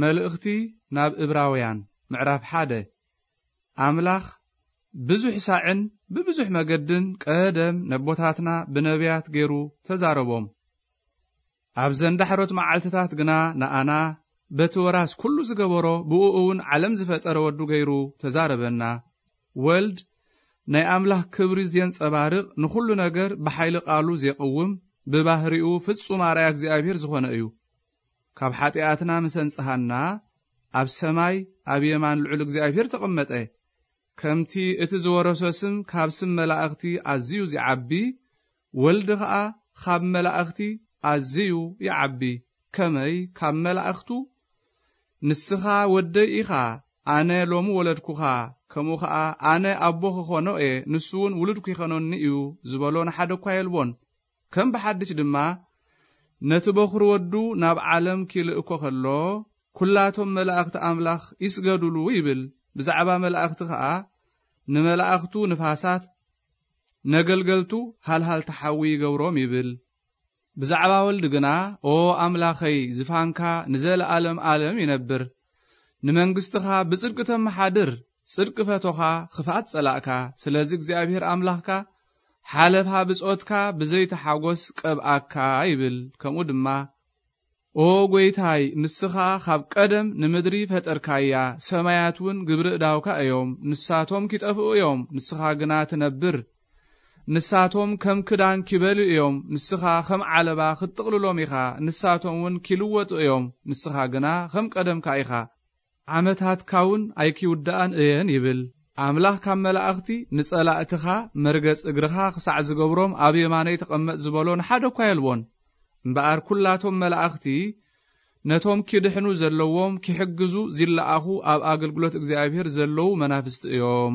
መልእኽቲ ናብ እብራውያን ምዕራፍ ሓደ። ኣምላኽ ብዙሕ ሳዕን ብብዙሕ መገድን ቀደም ነቦታትና ብነቢያት ገይሩ ተዛረቦም። ኣብዘን ዳሕሮት መዓልትታት ግና ንኣና በቲ ወራስ ኩሉ ዝገበሮ ብኡ እውን ዓለም ዝፈጠረ ወዱ ገይሩ ተዛረበና። ወልድ ናይ ኣምላኽ ክብሪ ዜንጸባርቕ ንኹሉ ነገር ብሓይሊ ቃሉ ዜቕውም ብባህሪኡ ፍጹም ኣርኣያ እግዚኣብሔር ዝኾነ እዩ። ካብ ሓጢኣትና ምስ ኣንጽሃና ኣብ ሰማይ ኣብ የማን ልዑል እግዚኣብሔር ተቐመጠ። ከምቲ እቲ ዝወረሶ ስም ካብ ስም መላእኽቲ ኣዝዩ ዚዓቢ፣ ወልድ ኸኣ ኻብ መላእኽቲ ኣዝዩ ይዓቢ። ከመይ ካብ መላእኽቱ? ንስኻ ወደይ ኢኻ፣ ኣነ ሎሚ ወለድኩኻ፣ ከምኡ ኸኣ ኣነ ኣቦ ክኾኖ እየ፣ ንሱ እውን ውሉድ ኪኸኖኒ እዩ ዝበሎ ንሓደ እኳ የልቦን። ከም ብሓድሽ ድማ ነቲ በኹሪ ወዱ ናብ ዓለም ኪልእኮ ኸሎ፣ ኩላቶም መላእኽቲ ኣምላኽ ይስገዱሉ ይብል። ብዛዕባ መላእኽቲ ኸኣ ንመላእኽቱ ንፋሳት፣ ነገልገልቱ ሃልሃልቲ ሓዊ ይገብሮም ይብል። ብዛዕባ ወልድ ግና፣ ኦ ኣምላኸይ፣ ዝፋንካ ንዘለኣለም ኣለም ይነብር። ንመንግስትኻ ብጽድቂ ተመሓድር፣ ጽድቂ ፈቶኻ፣ ክፍኣት ጸላእካ። ስለዚ እግዚኣብሔር ኣምላኽካ ሓለፋ ብጾትካ ብዘይቲ ሓጎስ ቀብኣካ ይብል። ከምኡ ድማ፣ ኦ ጐይታይ፣ ንስኻ ካብ ቀደም ንምድሪ ፈጠርካያ፣ ሰማያት እውን ግብሪ እዳውካ እዮም። ንሳቶም ኪጠፍኡ እዮም፣ ንስኻ ግና ትነብር። ንሳቶም ከም ክዳን ኪበልዩ እዮም፣ ንስኻ ከም ዓለባ ክትጥቕልሎም ኢኻ። ንሳቶም እውን ኪልወጡ እዮም፣ ንስኻ ግና ከም ቀደምካ ኢኻ። ዓመታትካ እውን ኣይኪውድኣን እየን ይብል። ኣምላኽ ካብ መላእኽቲ፣ ንጸላእትኻ መርገጽ እግርኻ ክሳዕ ዝገብሮም ኣብ የማነይ ተቐመጥ ዝበሎ ንሓደ እኳ የልቦን። እምበኣር ኩላቶም መላእኽቲ ነቶም ኪድሕኑ ዘለዎም ኪሕግዙ ዚለኣኹ ኣብ ኣገልግሎት እግዚኣብሔር ዘለዉ መናፍስቲ እዮም።